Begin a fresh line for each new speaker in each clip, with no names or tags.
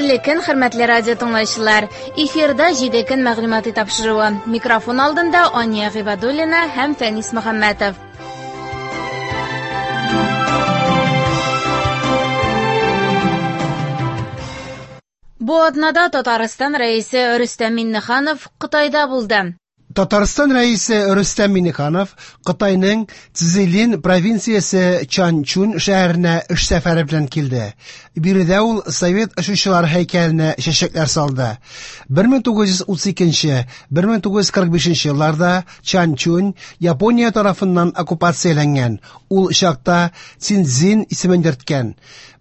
Хәерле көн, хөрмәтле радио тыңлаучылар. Эфирда 7 көн мәгълүмати тапшыруы. Микрофон алдында Ания Гыйбадуллина һәм Фәнис Мөхәммәтов. Бу атнада Татарстан Рәисе Рөстәм Миңнеханов Кытайда булды.
Татарстан Рәисе Рөстәм Миңнеханов Кытайның Цзилин провинциясе Чанчунь шәһәренә эш сәфәре белән килде. Биредә ул совет очучылары һәйкәленә чәчәкләр салды. 1932-1945 елларда Чанчунь Япония тарафыннан оккупацияләнгән. Ул чакта Цинцзин исемен йөрткән.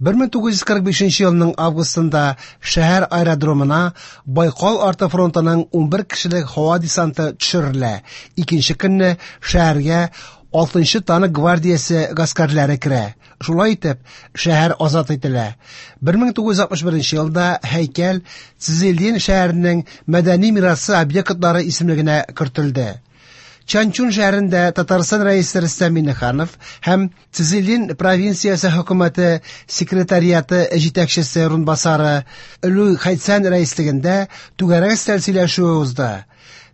1945 елның августында шәһәр аэродромына Байкал арты фронтының 11 кешелек һава десанты төшерелә. Икенче көнне шәһәргә 6нчы танк гвардиясе гаскәрләре керә. Шулай итеп, шәһәр азат ителә. 1961 елда һәйкәл Цзилин шәһәренең мәдәни мирасы объектлары исемлегенә кертелде. Чанчун шәһәрендә Татарстан Рәисе Рөстәм Миңнеханов һәм Цзилин провинциясе хөкүмәте секретариаты җитәкчесе урынбасары Лю Хайцан рәислегендә түгәрәк өстәл сөйләшүе узды.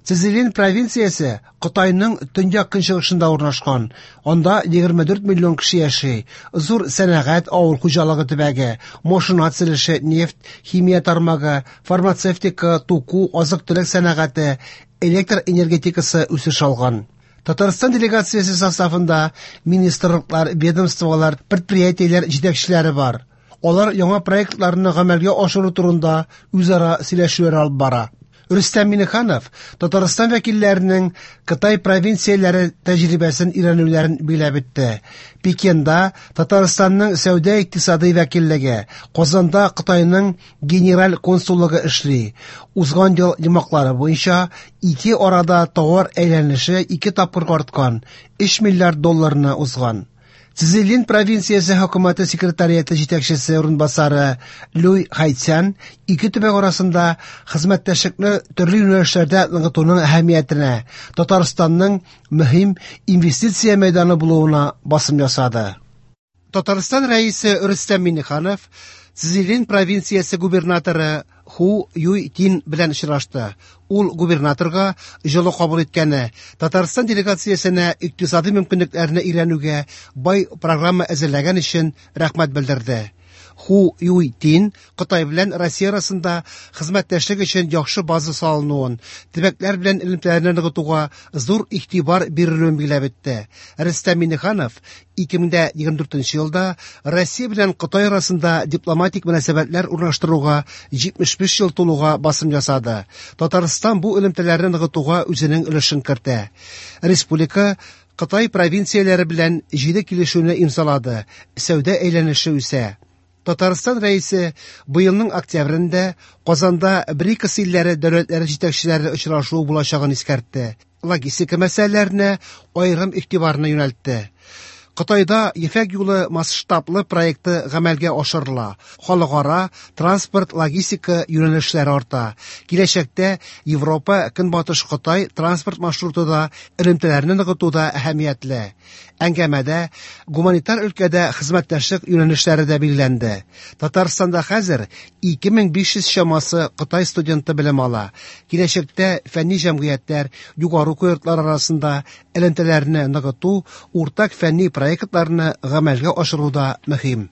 Цзилин провинциясе Кытайның төньяк-көнчыгышында урнашкан. Анда 24 миллион кеше яши. Зур сәнәгать, авыл хуҗалыгы төбәге, машина төзелеше, нефть, химия тармагы, фармацевтика, туку, азык-төлек сәнәгате, электр энергетикасы үсеш алган. Татарстан делегациясе составында министрлыклар, ведомстволар, предприятиеләр җитәкчеләре бар. Алар яңа проектларны гамәлгә ашыру турында үзара сөйләшүләр алып бара. Рөстәм Миңнеханов Татарстан вәкилләренең Кытай провинцияләре тәҗрибәсен өйрәнүләрен билгеләп үтте. Пекинда Татарстанның сәүдә-икътисади вәкиллеге, Казанда Кытайның генераль консуллыгы эшли. Узган ел йомгаклары буенча ике арада товар әйләнеше ике тапкырга арткан, 3 миллиард долларны узган. Цзилин провинциясе хөкүмәте секретариаты җитәкчесе урынбасары Люй Хайцян ике төбәк арасында хезмәттәшлекне төрле юнәлешләрдә ныгытуның әһәмиятенә, Татарстанның мөһим инвестиция мәйданы булуына басым ясады. Татарстан Рәисе Рөстәм Миңнеханов Цзилин провинциясе губернаторы Ху Юй Тин белән очрашты. Ул губернаторга җылы кабул иткәне, Татарстан делегациясенә икътисади мөмкинлекләрне өйрәнүгә бай программа әзерләгән өчен рәхмәт белдерде. Ху Юй Тин Кытай белән Россия арасында хезмәттәшлек өчен яхшы база салынуын, төбәкләр белән элемтәләрне ныгытуга зур игътибар бирелүен билгеләп үтте. Рөстәм Миңнеханов 2024 елда Россия белән Кытай арасында дипломатик мөнәсәбәтләр урнаштыруга 75 ел тулуга басым ясады. Татарстан бу элемтәләрне ныгытуга үзенең өлешен кертә. Республика Кытай провинцияләре белән 7 килешүне имзалады, сәүдә әйләнеше үсә. Татарстан Рәисе быелның октябрендә Казанда БРИКС илләре дәүләтләре җитәкчеләре очрашуы булачагын искәртте. Логистика мәсьәләләренә аерым игътибарны юнәлтте. Кытайда Ефәк юлы масштаблы проекты гамәлгә ашырыла. Халыкара транспорт логистика юнәлешләре арта. Киләчәктә Европа Көнбатыш Кытай транспорт маршруты да элемтәләрне ныгытуда әһәмиятле. Әңгәмәдә гуманитар өлкәдә хезмәттәшлек юнәлешләре дә билгеләнде. Татарстанда хәзер 2500 чамасы Кытай студенты белем ала. Киләчәктә фәнни җәмгыятьләр, югары уку йортлары арасында элемтәләрне ныгыту, уртак фәнни проектларны гамәлгә ашыру да мөһим.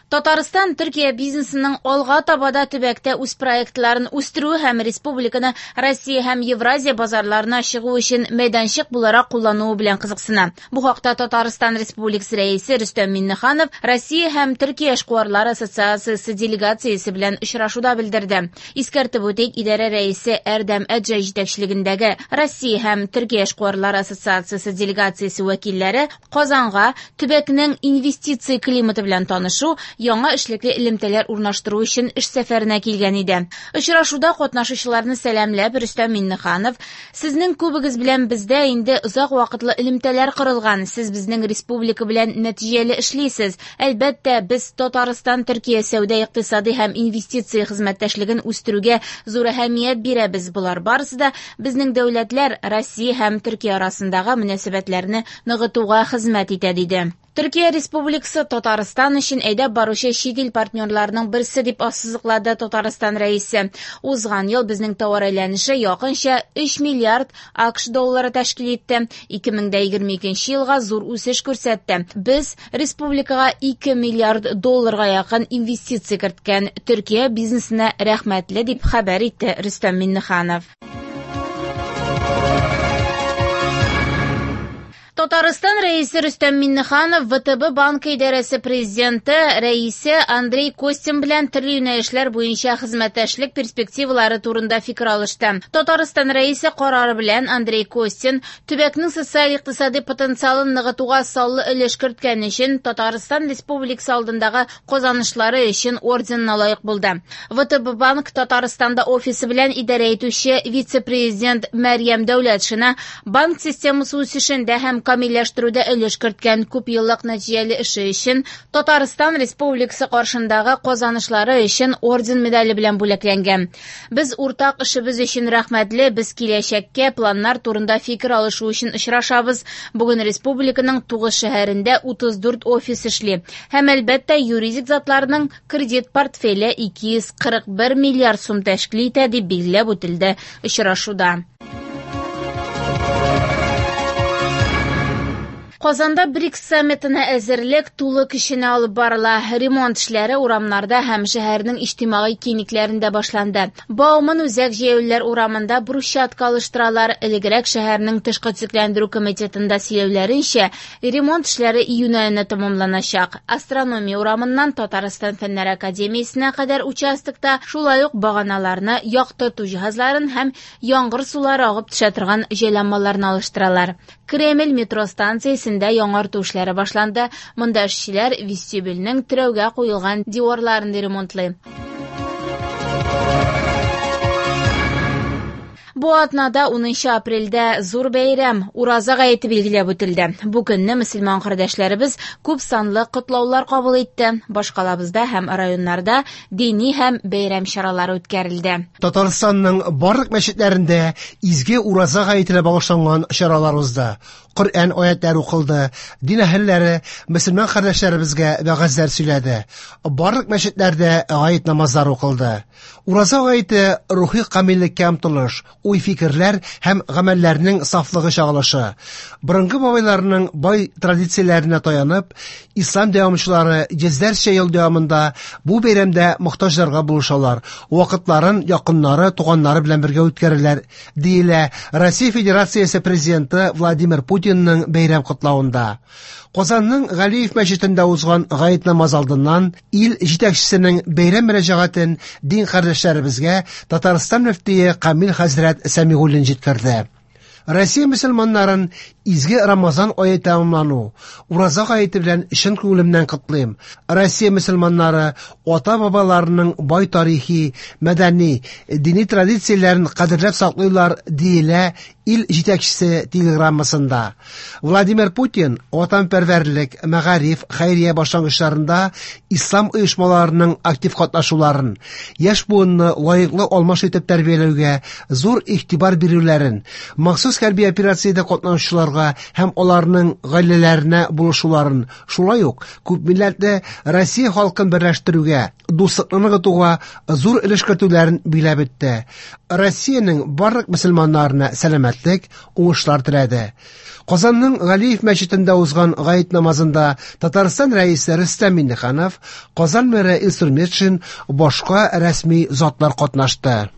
Татарстан Төркия бизнесының алга таба да төбәктә үз проектларын үстерүе һәм республиканы Россия һәм Евразия базарларына чыгу өчен мәйданчык буларак куллануы белән кызыксына. Бу хакта Татарстан Республикасы Рәисе Рөстәм Миңнеханов Россия һәм Төркия эшкуарлары ассоциациясе делегациясе белән очрашуда белдерде. Искәртеп үтик, идарә рәисе Әрдәм Әджай җитәкчелегендәге Россия һәм Төркия эшкуарлары ассоциациясе делегациясе вәкилләре Казанга төбәкнең инвестиция климаты белән танышу, яңа эшлекле элемтәләр урнаштыру өчен эш сәфәренә килгән иде. Очрашуда катнашучыларны сәламләп, Рөстәм Миңнеханов: "Сезнең күбегез белән бездә инде озак вакытлы элемтәләр корылган. Сез безнең республика белән нәтиҗәле эшлисез. Әлбәттә, без Татарстан Төркия сәүдә, икътисади һәм инвестиция хезмәттәшлеген үстерүгә зур әһәмият бирәбез. Болар барысы да безнең дәүләтләр Россия һәм Төркия арасындагы мөнәсәбәтләрне ныгытуга хезмәт итә", диде. Төркия Республикасы Татарстан өчен әйдәп баручы чит ил партнерларының берсе, дип ассызыклады Татарстан Рәисе. Узган ел безнең товар әйләнеше якынча 3 миллиард АКШ доллары тәшкил итте. 2022 елга зур үсеш күрсәтте. Без республикага 2 миллиард долларга якын инвестиция керткән Төркия бизнесына рәхмәтле, дип хәбәр итте Рөстәм Миңнеханов. Татарстан Рәисе Рөстәм Миңнеханов ВТБ банкы идарәсе президенты рәисе Андрей Костин белән төрле юнәлешләр буенча хезмәттәшлек перспективалары турында фикер алышты. Татарстан Рәисе карары белән Андрей Костин төбәкнең социаль-икътисади потенциалын ныгытуга саллы өлеш керткән өчен Татарстан Республикасы алдындагы казанышлары өчен орденына лаек булды. ВТБ банк Татарстанда офисы белән идарә итүче вице-президент Мәрьям Дәүләтшина банк системасы үсешендә һәм камилләштерүдә өлеш керткән күпьеллык нәтиҗәле эше өчен Татарстан Республикасы каршындагы казанышлары өчен орден медале белән бүләкләнгән. Без уртак эшебез өчен рәхмәтле, без киләчәккә планнар турында фикер алышу өчен очрашабыз. Бүген республиканың 9 шәһәрендә 34 офис эшли. Һәм, әлбәттә, юридик затларның кредит портфеле 241 миллиард сум тәшкил итә, дип билгеләп үтелде очрашуда. Казанда БРИКС саммитына әзерлек тулы көченә алып барыла. Ремонт эшләре урамнарда һәм шәһәрнең иҗтимагый киңлекләрендә башланды. Бауман үзәк җәяүлеләр урамында брусчатка алыштыралар. Элегрәк шәһәрнең тышкы төзекләндерү комитетында сөйләүләренчә, ремонт эшләре июнь аенда тәмамланачак. Астрономия урамыннан Татарстан Фәннәр академиясенә кадәр участокта шулай ук баганаларны, яктырту җиһазларын һәм яңгыр сулары агып төшә торган җайланмаларны алыштыралар. Кремль метро станциясендә яңарту эшләре башланды. Монда эшчеләр вестибюльнең терәүгә куелган диварларын ремонтлый. Бу атнада 10 апрельдә зур бәйрәм Ураза гаете билгеләп үтелде. Бу көнне мөселман кардәшләребез күп санлы котлаулар кабул итте. Башкалабызда һәм районнарда дини һәм бәйрәм чаралары үткәрелде.
Татарстанның барлык мәчетләрендә изге Ураза гаетенә багышланган чаралар узды. Коръән аятлары укылды, дин әһелләре мөселман кардәшләребезгә вәгазьләр сөйләде. Барлык мәчетләрдә гает намазлары укылды. Ураза гаете рухи камиллеккә омтылыш, уй-фикерләр һәм гамәлләрнең сафлыгы чагылышы. Борынгы бабайларының бай традицияләренә таянып, ислам дәвамчылары йөзләрчә ел дәвамында бу бәйрәмдә мохтаҗларга булышалар, вакытларын якыннары, туганнары белән бергә үткәрәләр, диелә Россия Федерациясе Президенты Владимир Путинның бәйрәм котлавында. Казанның Галиев мәчетендә узган гает намаз алдыннан ил җитәкчесенең бәйрәм мөрәҗәгатен дин кардәшләребезгә Татарстан мөфтие Камил хәзрәт Сәмигуллин җиткерде. Россия мөселманнарын изге Рамазан ае тәмамлану, Ураза гаете белән чын күңелемнән котлыйм. Россия мөселманнары ата-бабаларының бай тарихи, мәдәни, дини традицияләрен кадерләп саклыйлар, диелә ил җитәкчесе телеграммасында. Владимир Путин ватанпәрвәрлек, мәгариф, хәйрия башлангычларында ислам оешмаларының актив катнашуларын, яшь буынны лаеклы алмаш итеп тәрбияләүгә зур игътибар бирүләрен, махсус хәрби операциядә катнашучыларга һәм аларның гаиләләренә булышуларын, шулай ук күпмилләтле Россия халкын берләштерүгә, дуслыкны ныгытуга зур өлеш кертүләрен биләп үтте. Россиянең барлык мөселманнарына сәламәтлек, уңышлар теләде. Казанның Галиев мәчетендә узган гает намазында Татарстан рәисе Рөстәм Миңнеханов, Казан мэры Илсур Метшин, башка рәсми затлар катнашты.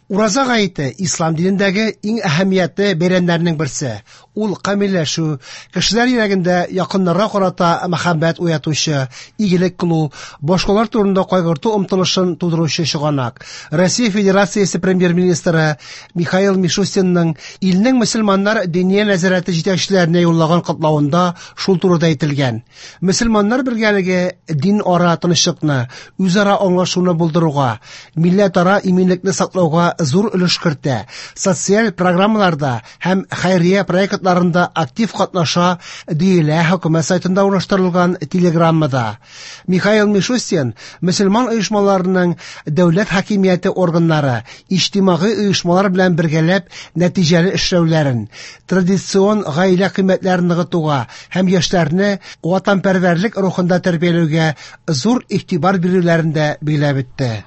Ураза гаете ислам динендәге иң әһәмиятле бәйрәмнәрнең берсе. Ул камилләшү, кешеләр йөрәгендә якыннарга карата мәхәббәт уятучы, игелек кылу, башкалар турында кайгырту омтылышын тудыручы чыганак. Россия Федерациясе премьер-министры Михаил Мишустинның илнең мөселманнар диния нәзарәте җитәкчеләренә юллаган котлавында шул турыда әйтелгән. Мөселманнар бергәлеге дин ара тынычлыкны, үзара аңлашуны булдыруга, милләтара иминлекне саклауга үсешкә зур өлеш кертә, социаль программаларда һәм хәйрия проектларында актив катнаша, диелә хөкүмәт сайтында урнаштырылган телеграммада. Михаил Мишустин мөселман оешмаларының дәүләт хакимияте органнары, иҗтимагый оешмалар белән бергәләп нәтиҗәле эшләүләрен, традицион гаилә кыйммәтләрен ныгытуга һәм яшьләрне ватанпәрвәрлек рухында тәрбияләүгә зур игътибар бирүләрен дә билгеләп үтте.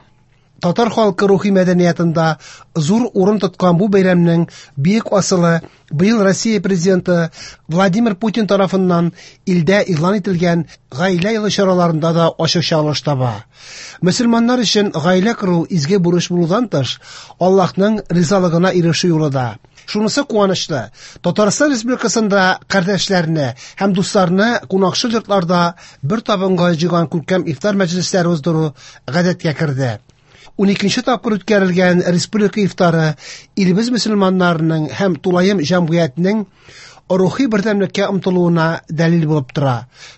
Татар халкы рухи мәдәниятында зур урын тоткан бу бәйрәмнең бөек асылы быел Россия президенты Владимир Путин тарафыннан илдә игълан ителгән Гаилә елы чараларында да ачык чагылыш таба. Мөселманнар өчен гаилә кору изге бурыч булудан тыш, Аллаһның ризалыгына ирешү юлы да. Шунысы куанычлы, Татарстан Республикасында кардәшләрне һәм дусларны кунакчыл йортларда бер табынга җыйган күркәм ифтар мәҗлесләре уздыру гадәткә керде. 12 тапкыр үткәрелгән республика ифтары илебез мөселманнарының һәм тулаем җәмгыятьнең рухи бердәмлеккә омтылуына дәлил булып тора.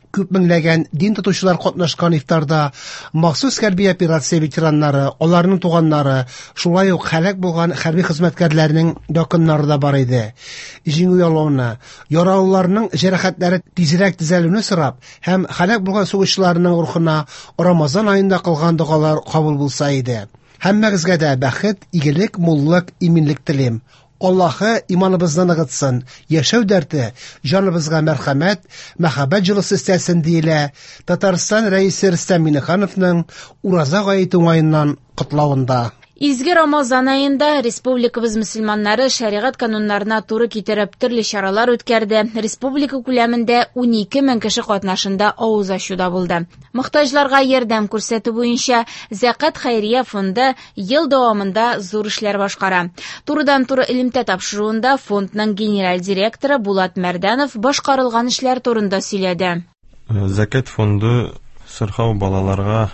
Күп меңләгән дин тотучылар катнашкан ифтарда махсус хәрби операция ветераннары, аларның туганнары, шулай ук һәлак булган хәрби хезмәткәрләрнең якыннары да бар иде. Җиңү яулауны, яралыларның җәрәхәтләре тизрәк төзәлүне сорап һәм һәлак булган сугышчыларның рухына Рамазан аенда кылган догалар кабул булса иде. Һәммәгезгә дә бәхет, игелек, муллык, иминлек телим. Аллаһы иманыбызны ныгытсын, яшәү дәрте, җаныбызга мәрхәмәт, мәхәббәт җылысы өстәсен, диелә Татарстан Рәисе Рөстәм Миңнехановның Ураза гаете уңаеннан котлавында.
Изге Рамазан аенда республикабыз мөселманнары шәригать кануннарына туры китереп төрле чаралар үткәрде. Республика күләмендә 12 мең кеше катнашында авыз ачу да булды. Мохтаҗларга ярдәм күрсәтү буенча Зәкат хәйрия фонды ел дәвамында зур эшләр башкара. Турыдан-туры элемтә тапшыруында фондның генераль директоры Булат Мәрдәнов башкарылган эшләр турында сөйләде.
Зәкят фонды сырхау балаларга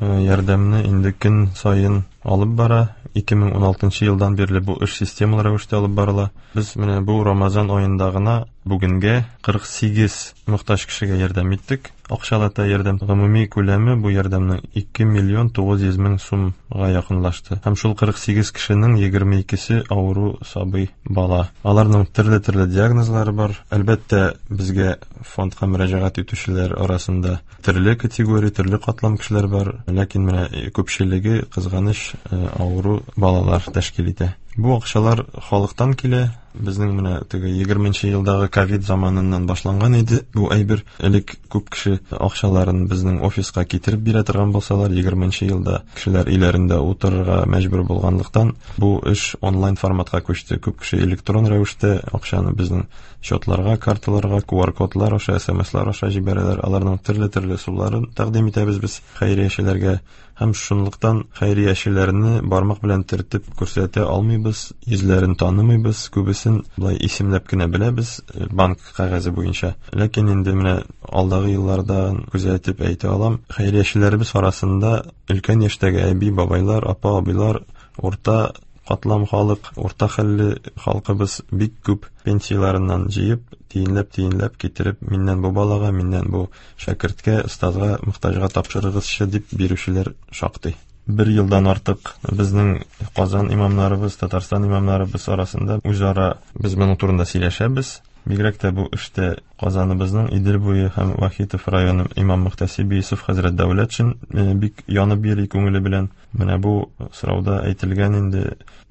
ярдәмне инде көн саен алып бара. 2016 елдан бирле бу эш системалы рәвештә алып барыла. Без менә бу Рамазан аенда гына бүгенгә 48 мохтаҗ кешегә ярдәм иттек. Акчалата ярдәм гомуми күләме бу ярдәмнең 2 миллион 900 мең сумга якынлашты. Һәм шул 48 кешенең 22-се авыру сабый бала. Аларның төрле-төрле диагнозлары бар. Әлбәттә, безгә фондка мөрәҗәгать итүчеләр арасында төрле категория, төрле катлам кешеләр бар, ләкин менә күпчелеге кызганыч авыру балалар тәшкил итә. Бу акчалар халыктан килә. Безнең менә теге 20 елдагы ковид заманыннан башланган иде бу әйбер. Элек күп кеше акчаларын безнең офиска китереп бирә торган булсалар, 20 елда кешеләр өйләрендә утырырга мәҗбүр булганлыктан бу эш онлайн форматка күчте. Күп кеше электрон рәвештә акчаны безнең счетларга, карталарга, QR-кодлар аша, SMS-лар аша җибәрәләр. Аларның төрле-төрле ысулларын тәкъдим итәбез без хәйриячеләргә. Һәм шунлыктан хәйриячеләрне бармак белән төртеп күрсәтә алмыйбыз, йөзләрен танымыйбыз, күбесен болай исемләп кенә беләбез банк кәгазе буенча. Ләкин инде менә алдагы елларда күзәтеп әйтә алам, хәйриячеләребез арасында өлкән яшьтәге әби, бабайлар, апа, абыйлар, урта катлам халык, урта хәлле халкыбыз бик күп пенсияләреннән җыеп, тиенләп-тиенләп китереп, миннән бу балага, миннән бу шәкерткә, остазга, мохтаҗга тапшырыгызчы дип бирүчеләр шактый. Бер елдан артык безнең Казан имамнарыбыз, Татарстан имамнарыбыз арасында үзара без моның турында сөйләшәбез. Бигрәк тә бу эштә Казаныбызның Идел буе һәм Вахитов районы имам мөхтәсибе Юсуф хәзрәт Дәүләтшин бик янып йөри күңеле белән. Менә бу сорауда әйтелгән инде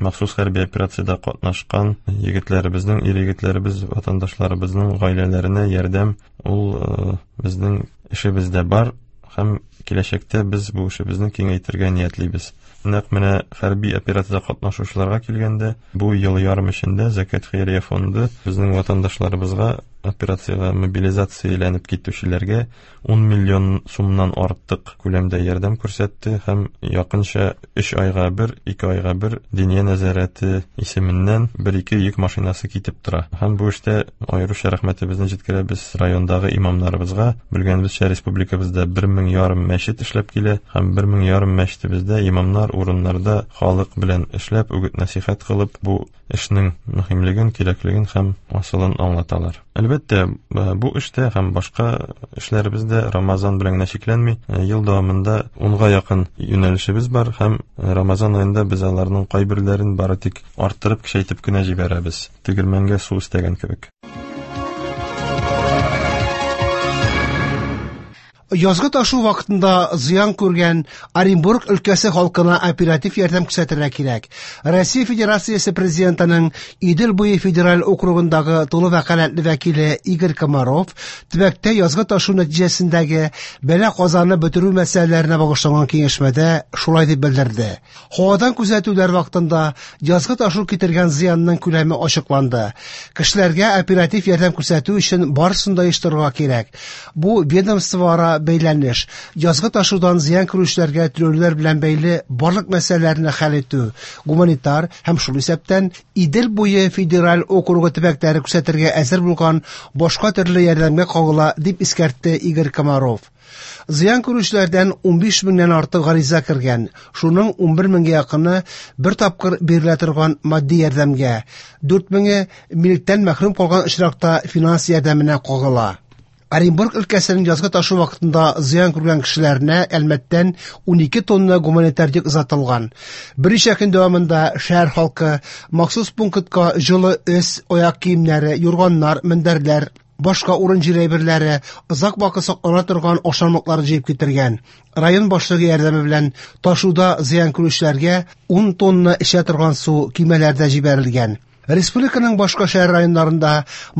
махсус хәрби операциядә катнашкан егетләребезнең, ир-егетләребез, ватандашларыбызның гаиләләренә ярдәм ул безнең эшебездә бар һәм киләчәктә без бу эшебезне киңәйтергә ниятлибез. Нәкъ менә хәрби операциядә катнашучыларга килгәндә, бу ел ярым эчендә Зәкят хәйрия фонды безнең ватандашларыбызга операциягә мобилизацияләнеп китүчеләргә 10 миллион сумнан артык күләмдә ярдәм күрсәтте һәм якынча 3 айга бер, 2 айга бер Диния нәзарәте исеменнән бер-ике йөк машинасы китеп тора. Һәм бу эштә аеруча рәхмәтебезне җиткерәбез райондагы имамнарыбызга. Белгәнебезчә, республикабызда 1000 1000,5 мәчет эшләп килә һәм 1000,5 мәчетебездә имамнар урыннарда халык белән эшләп, үгет-нәсихәт кылып, бу эшнең мөһимлеген, кирәклеген һәм асылын аңлаталар. Әлбәттә, бу эштә һәм башка эшләребез дә Рамазан белән генә чикләнми. Ел дәвамында 10-га якын юнәлешебез бар һәм Рамазан аенда без аларның кайберләрен бары тик арттырып, көчәйтеп кенә җибәрәбез. Тегермәнгә су өстәгән кебек.
Язгы ташу вакытында зыян күргән Оренбург өлкәсе халкына оператив ярдәм күрсәтергә кирәк. Россия Федерациясе Президентының Идел буе федераль округындагы тулы вәкаләтле вәкиле Игорь Комаров төбәктә язгы ташу нәтиҗәсендәге бәла-казаны бетерү мәсьәләләренә багышланган киңәшмәдә шулай дип белдерде. Һавадан күзәтүләр вакытында язгы ташу китергән зыянның күләме ачыкланды. Кешеләргә оператив ярдәм күрсәтү өчен барысын да оештырырга кирәк. Бу ведомствоара бәйләнеш, язгы ташудан зыян күрүчеләргә түләүләр белән бәйле барлык мәсьәләләрне хәл итү, гуманитар һәм шул исәптән Идел буе федераль округы төбәкләре күрсәтергә әзер булган башка төрле ярдәмгә кагыла, дип искәртте Игорь Комаров. Зыян күрүчеләрдән 15 меңнән артык гариза кергән, шуның 11 меңгә якыны бер тапкыр бирелә торган матди ярдәмгә, 4 меңе милектән мәхрүм калган очракта финанс ярдәменә кагыла. Оренбург өлкәсенең язгы ташу вакытында зыян күргән кешеләренә Әлмәттән 12 тонна гуманитар йөк озатылган. Берничә көн дәвамында шәһәр халкы махсус пунктка җылы өс, аяк киемнәре, юрганнар, мендәрләр, башка урын-җир әйберләре, озак вакыт саклана торган ашамлыклар җыеп китергән. Район башлыгы ярдәме белән ташуда зыян күрүчеләргә 10 тонна эчә торган су көймәләрдә җибәрелгән. Республиканың башка шәһәр районнарында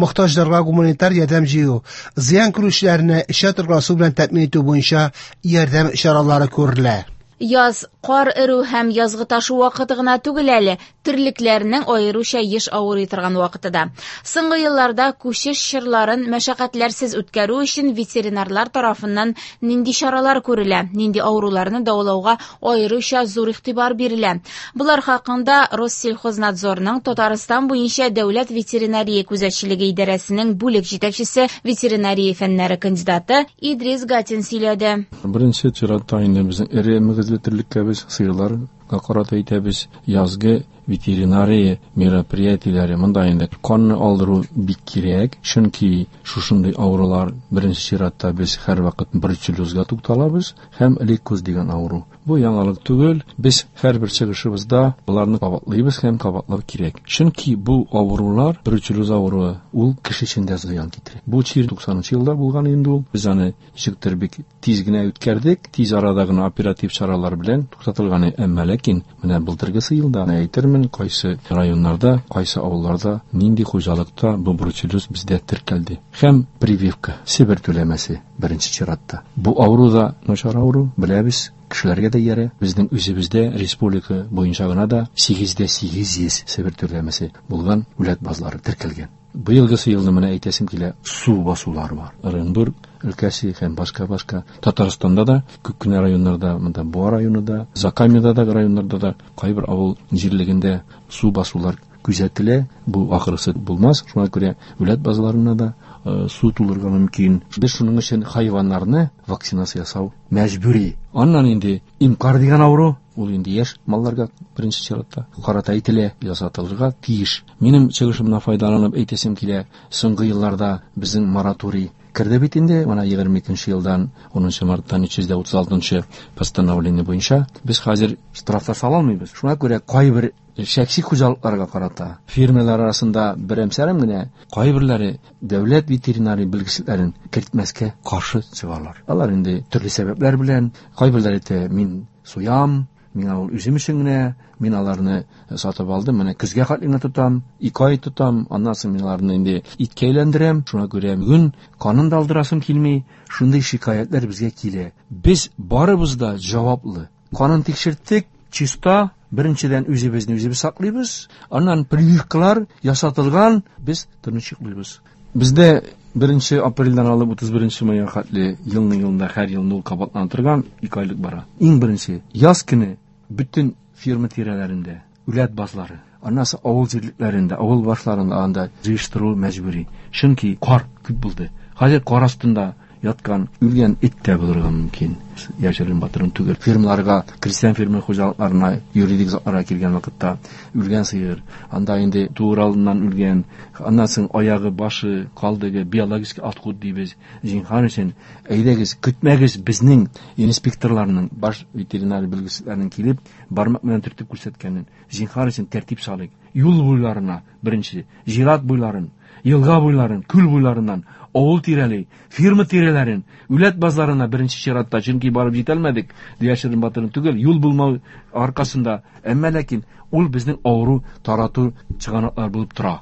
мохтаҗларга гуманитар ярдәм җыю, зыян күрүчеләрне эчә торган су белән тәэмин итү буенча ярдәм чаралары күрелә.
Яз кар эрү һәм язгы ташу вакыты гына түгел әле, терлекләрнең аеруча еш авырый торган вакыты да. Соңгы елларда күчеш чорларын мәшәкатьләрсез үткәрү өчен ветеринарлар тарафыннан нинди чаралар күрелә, нинди авыруларны дәвалауга аеруча зур игътибар бирелә. Болар хакында Россельхознадзорның Татарстан буенча дәүләт ветеринария күзәтчелеге идарәсенең бүлек җитәкчесе, ветеринария фәннәре кандидаты Идрис Гатин сөйләде.
Беренче чиратта инде безнең эре мөгезле терлеккә без сыерларга карата әйтәбез, язгы ветеринария мероприятиеләре монда инде канны алдыру бик кирәк, чөнки шушындый авырулар беренче чиратта без һәрвакыт бруцеллезга тукталабыз һәм лейкоз дигән авыру. Бу яңалык түгел, без һәрбер чыгышыбызда боларны кабатлыйбыз һәм кабатлау кирәк. Чөнки бу авырулар, бруцеллез авыруы, ул кеше өчен дә зыян китерә. Бу чир 90 елда булган инде ул. Без аны ничектер бик тиз генә үткәрдек, тиз арада гына оператив чаралар белән туктатылган. Әмма ләкин менә былтыргысы елда әйтермен, кайсы районнарда, кайсы авылларда, нинди хуҗалыкта бу бруцеллез бездә теркәлде. Һәм прививка, Себер түләмәсе беренче чиратта. Бу авыру да начар авыру, беләбез, кешеләргә дә иярә. Безнең үзебездә республика буенча гына да 8,800 Себер түләмәсе булган үләт базлары теркәлгән. Быелгысы елны менә әйтәсем килә, су басулар бар. Оренбург өлкәсе һәм башка-башка. Татарстанда да күп кенә районнарда, монда Буа районы да, Закамьеда да районнарда да кайбер авыл җирлегендә су басулар күзәтелә. Бу ахырысы булмас, шуңа күрә үләт базларына да су тулырга мөмкин. Без шуның өчен хайваннарны вакцинация ясау мәҗбүри. Аннан инде имкар дигән авыру, ул инде яшь малларга беренче чиратта карата әйтелә, ясатылырга тиеш. Минем чыгышымнан файдаланып әйтәсем килә, соңгы елларда безнең мораторий керде бит инде, менә егерме икенче елдан унынчы марттан өч йөз дә утыз алтынчы постановление буенча без хәзер штрафлар сала алмыйбыз. Шуңа күрә кайбер шәхси хуҗалыкларга карата фирмалар арасында берәмсәрем генә кайберләре дәүләт ветеринария белгечлекләрен кертмәскә каршы чыгалар. Алар инде төрле сәбәпләр белән, кайберләре әйтә, мин суям, миңа ул үзем өчен генә, мин аларны сатып алдым, менә көзгә хәтле генә тотам, ике ай тотам, аннан соң мин аларны инде иткә әйләндерәм. Шуңа күрә бүген канын да алдырасым килми. Шундый шикаятьләр безгә килә. Без барыбыз да җаваплы. Канын тикшерттек, чиста, беренчедән үзебезне үзебез саклыйбыз, аннан прививкалар ясатылган, без тыныч йоклыйбыз. Бездә беренче апрельдән алып утыз беренче майга хәтле елның елында һәр елны ул кабатлана торган ике айлык бара. Иң беренче яз көне бөтен фирма тирәләрендә үләт базлары, аннан соң авыл җирлекләрендә, авыл башларында анда җыештыру мәҗбүри. Чөнки кар күп булды. Хәзер кар астында яткан үлгән эт тә булырга мөмкин. Яшерен батырын түгел. Фермаларга, крестьян фермер хуҗалыкларына, юридик затларга килгән вакытта үлгән сыер, анда инде туыр алдыннан үлгән, аннан соң аягы, башы, калдыгы, биологический отход дибез. Зинһар өчен, әйдәгез, көтмәгез безнең инспекторларның, баш ветеринар белгечләренең килеп, бармак белән төртеп күрсәткәнен. Зинһар өчен тәртип салыйк. Юл буйларына, беренче, зират буйларын, елга буйларын, күл буйларыннан, авыл тирәли, фирма тирәләрен, үләт базларына беренче чиратта, чөнки барып җитәлмәдек, яшерен батырын түгел, юл булмау аркасында. Әмма ләкин ул безнең авыру тарату чыганаклар булып тора.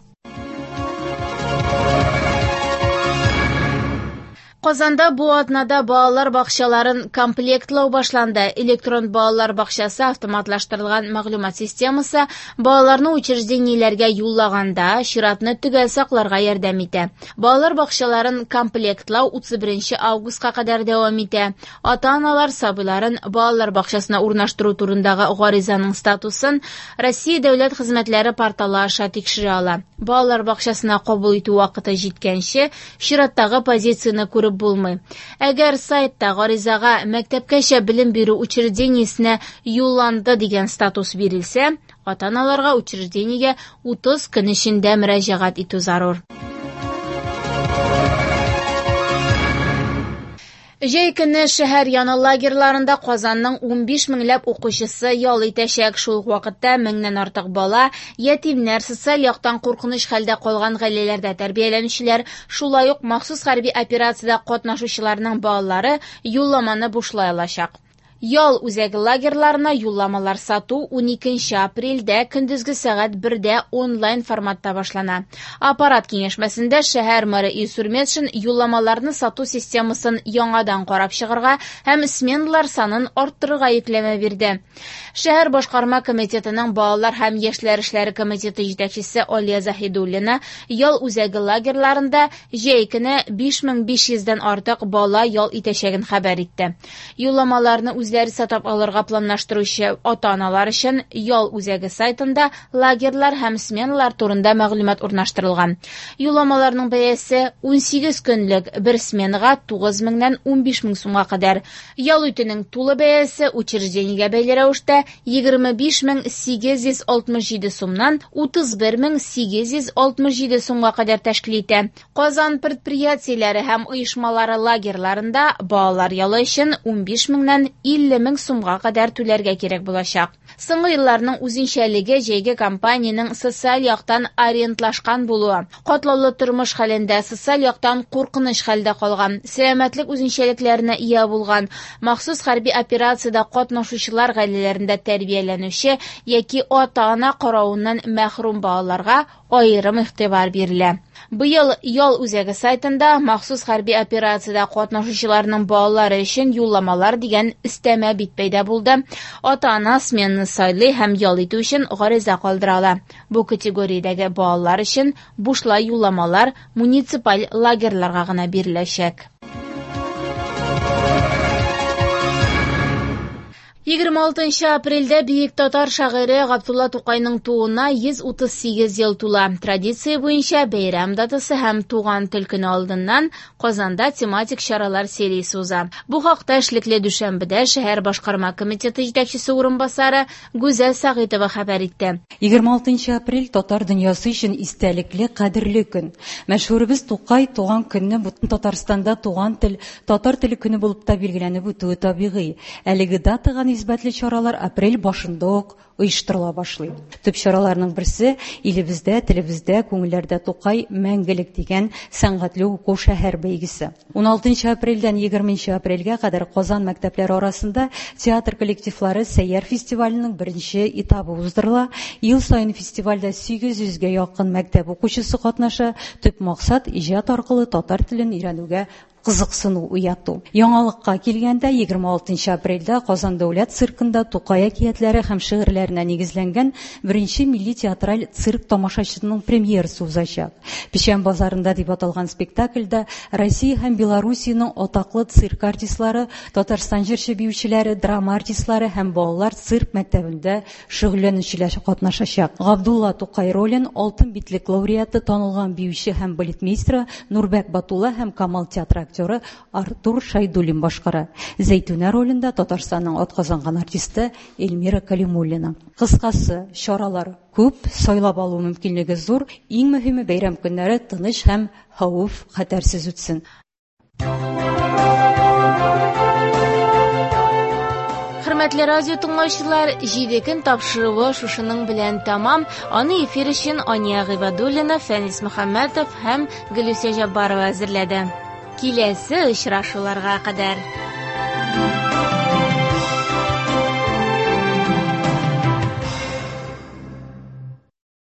Казанда бу атнада балалар бакчаларын комплектлау башланды. Электрон балалар бакчасы автоматлаштырылган мәгълүмат системасы балаларны учреждениеләргә юллаганда чиратны төгәл сакларга ярдәм итә. Балалар бакчаларын комплектлау 31 августка кадәр дәвам итә. Ата-аналар сабыйларын балалар бакчасына урнаштыру турындагы гаризаның статусын Россия дәүләт хезмәтләре порталы аша тикшерә ала. Балалар бакчасына кабул итү вакыты җиткәнче чираттагы позицияне күреп булмый. Әгәр сайтта гаризага мәктәпкәчә белем бирү учреждениесенә юлланды дигән статус бирелсә, ата-аналарга учреждениегә 30 көн эчендә мөрәҗәгать итү зарур. Җәй көне шәһәр яны лагерьларында Казанның 15 меңләп укучысы ял итәчәк. Шул ук вакытта меңнән артык бала, ятимнәр, социаль яктан куркыныч хәлдә калган гаиләләрдә тәрбияләнүчеләр, шулай ук махсус хәрби операциядә катнашучыларның балалары юлламаны бушлай алачак. Ял үзәге лагерьларына юлламалар сату 12 апрельдә көндезге сәгать 1-дә онлайн форматта башлана. Аппарат киңәшмәсендә шәһәр мэры Илсур Метшин юлламаларны сату системасын яңадан карап чыгарга һәм сменалар санын арттырырга йөкләмә бирде. Шәһәр башкарма комитетының балалар һәм яшьләр эшләре комитеты җитәкчесе Алия Заһидуллина ял үзәге лагерьларында җәй көне 5500-дән артык бала ял итәчәген хәбәр итте. Юлламаларны үзләре сатып алырга планлаштыручы ата-аналар өчен ял үзәге сайтында лагерьлар һәм сменалар турында мәгълүмат урнаштырылган. Юлламаларның бәясе 18 көнлек бер сменага 9 меңнән 15 мең сумга кадәр. Ял итүнең тулы бәясе учреждениегә бәйле рәвештә 25 867 сумнан 31 867 сумга кадәр тәшкил итә. Казан предприятиеләре һәм оешмалары лагерьларында балалар ялы өчен 15 меңнән 50 мең сумга кадәр түләргә кирәк булачак. Соңгы елларның үзенчәлеге җәйге кампаниянең социаль яктан ориентлашкан булуы. Катлаулы тормыш хәлендә социаль яктан куркыныч хәлдә калган, сәламәтлек үзенчәлекләренә ия булган, махсус хәрби операциядә катнашучылар гаиләләрендә тәрбияләнүче яки ата-ана каравыннан мәхрүм балаларга аерым игътибар бирелә. Быел ял үзәге сайтында махсус хәрби операциядә катнашучыларның балалары өчен юлламалар дигән өстәмә бит пәйда булды. Ата-ана сменаны сайлый һәм ял итү өчен гариза калдыра ала. Бу категориядәге балалар өчен бушлай юлламалар муниципаль лагерьларга гына биреләчәк. 26 апрельдә бөек татар шагыйре Габдулла Тукайның тууына 138 ел тула. Традиция буенча бәйрәм датасы һәм туган тел көне алдыннан Казанда тематик чаралар сериясе уза. Бу хакта эшлекле дүшәмбедә шәһәр башкарма комитеты җитәкчесе урынбасары Гүзәл Сәгыйтова хәбәр итте.
26 апрель татар дөньясы өчен истәлекле, кадерле көн. Мәшһүребез Тукай туган көнне бөтен Татарстанда туган тел, татар теле көне булып та билгеләнеп үтүе табигый. Әлеге датага нисбәтле чаралар апрель башында ук оештырыла башлый. Төп чараларның берсе илебездә, телебездә, күңелләрдә Тукай мәңгелек дигән сәнгатьле уку шәһәр бәйгесе. 16 апрельдән 20 апрельгә кадәр Казан мәктәпләре арасында театр коллективлары Сәйяр фестиваленең беренче этабы уздырыла. Ел саен фестивальдә 800гә якын мәктәп укучысы катнаша. Төп максат иҗат аркылы татар телен өйрәнүгә кызыксыну уяту. Яңалыкка килгәндә 26 апрельдә Казан дәүләт циркында Тукай әкиятләре һәм шигырьләре әсәрләренә нигезләнгән беренче милли театраль цирк тамашачысының премьерасы узачак. Печән базарында дип аталган спектакльдә Россия һәм Белоруссиянең атаклы цирк артистлары, Татарстан җырчы биючеләре, драма артистлары һәм балалар цирк мәктәбендә шөгыльләнүчеләр катнашачак. Габдулла Тукай ролен Алтын битлек лауреаты, танылган биюче һәм балетмейстеры Нурбәк Батулла һәм Камал театры актеры Артур Шайдуллин башкара. Зәйтүнә ролендә Татарстанның атказанган артисты Эльмира Калимуллина. Кыскасы, чаралар күп, сайлап алу мөмкинлеге зур. Иң мөһиме, бәйрәм көннәре тыныч һәм хәвеф хәтәрсез үтсен.
Хөрмәтле радио тыңлаучылар, 7 көн тапшыруы шушының белән тәмам. Аны эфир өчен Ания Гыйбадуллина, Фәнис Мөхәммәтов һәм Гөлүсә Җаббарова әзерләде. Киләсе очрашуларга кадәр.